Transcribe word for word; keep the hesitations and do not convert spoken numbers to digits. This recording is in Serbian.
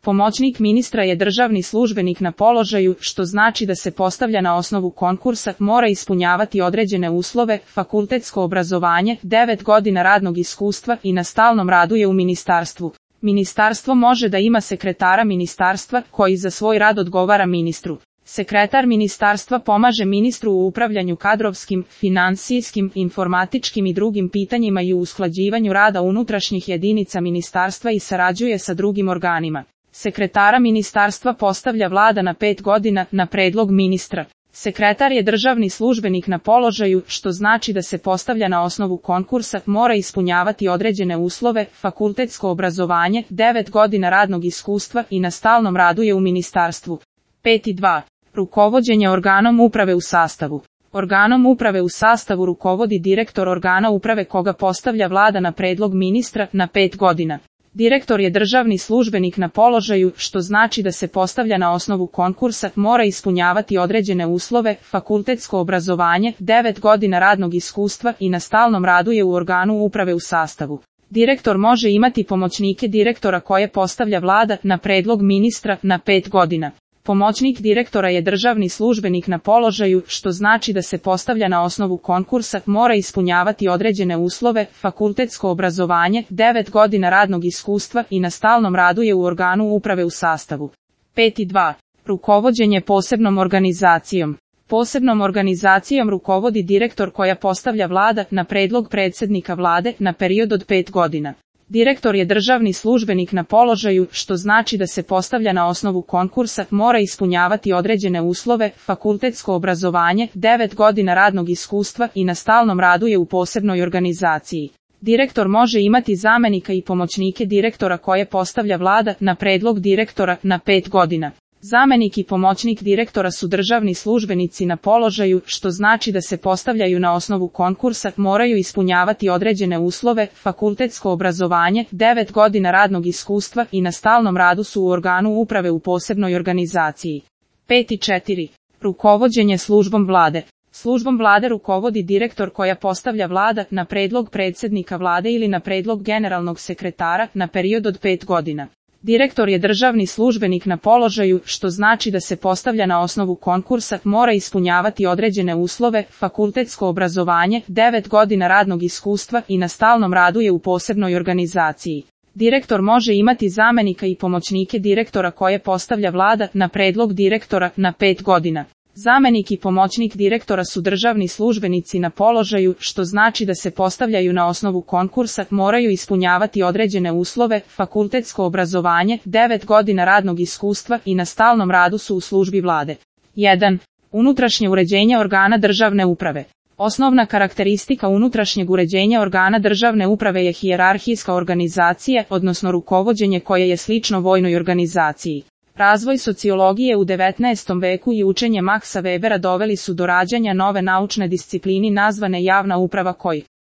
Pomoćnik ministra je državni službenik na položaju, što znači da se postavlja na osnovu konkursa, mora ispunjavati određene uslove, fakultetsko obrazovanje, devet godina radnog iskustva i na stalnom radu je u ministarstvu. Ministarstvo može da ima sekretara ministarstva, koji za svoj rad odgovara ministru. Sekretar ministarstva pomaže ministru u upravljanju kadrovskim, finansijskim, informatičkim i drugim pitanjima i u usklađivanju rada unutrašnjih jedinica ministarstva i sarađuje sa drugim organima. Sekretara ministarstva postavlja vlada na pet godina, na predlog ministra. Sekretar je državni službenik na položaju, što znači da se postavlja na osnovu konkursa, mora ispunjavati određene uslove, fakultetsko obrazovanje, devet godina radnog iskustva i na stalnom radu je u ministarstvu. pet i dva. Rukovođenje organom uprave u sastavu. Organom uprave u sastavu rukovodi direktor organa uprave koga postavlja vlada na predlog ministra na pet godina. Direktor je državni službenik na položaju, što znači da se postavlja na osnovu konkursa, mora ispunjavati određene uslove, fakultetsko obrazovanje, devet godina radnog iskustva i na stalnom radu je u organu uprave u sastavu. Direktor može imati pomoćnike direktora koje postavlja vlada na predlog ministra na pet godina. Pomoćnik direktora je državni službenik na položaju, što znači da se postavlja na osnovu konkursa, mora ispunjavati određene uslove, fakultetsko obrazovanje, devet godina radnog iskustva i na stalnom radu je u organu uprave u sastavu. pet i dva. Rukovođenje posebnom organizacijom. Posebnom organizacijom rukovodi direktor koja postavlja vlada na predlog predsjednika vlade na period od pet godina. Direktor je državni službenik na položaju, što znači da se postavlja na osnovu konkursa, mora ispunjavati određene uslove, fakultetsko obrazovanje, devet godina radnog iskustva i na stalnom radu je u posebnoj organizaciji. Direktor može imati zamenika i pomoćnike direktora koje postavlja vlada na predlog direktora na pet godina. Zamenik i pomoćnik direktora su državni službenici na položaju, što znači da se postavljaju na osnovu konkursa, moraju ispunjavati određene uslove, fakultetsko obrazovanje, devet godina radnog iskustva i na stalnom radu su u organu uprave u posebnoj organizaciji. pet i četiri. Rukovođenje službom vlade. Službom vlade rukovodi direktor koja postavlja vlada na predlog predsjednika vlade ili na predlog generalnog sekretara na period od pet godina. Direktor je državni službenik na položaju, što znači da se postavlja na osnovu konkursa, mora ispunjavati određene uslove, fakultetsko obrazovanje, devet godina radnog iskustva i na stalnom radu je u posebnoj organizaciji. Direktor može imati zamenika i pomoćnike direktora koje postavlja vlada na predlog direktora na pet godina. Zamenik i pomoćnik direktora su državni službenici na položaju, što znači da se postavljaju na osnovu konkursa, moraju ispunjavati određene uslove, fakultetsko obrazovanje, devet godina radnog iskustva i na stalnom radu su u službi vlade. jedan. Unutrašnje uređenje organa državne uprave. Osnovna karakteristika unutrašnjeg uređenja organa državne uprave je hijerarhijska organizacija, odnosno rukovođenje koje je slično vojnoj organizaciji. Razvoj sociologije u devetnaestom veku i učenje Maxa Webera doveli su do rađanja nove naučne disciplini nazvane javna uprava koji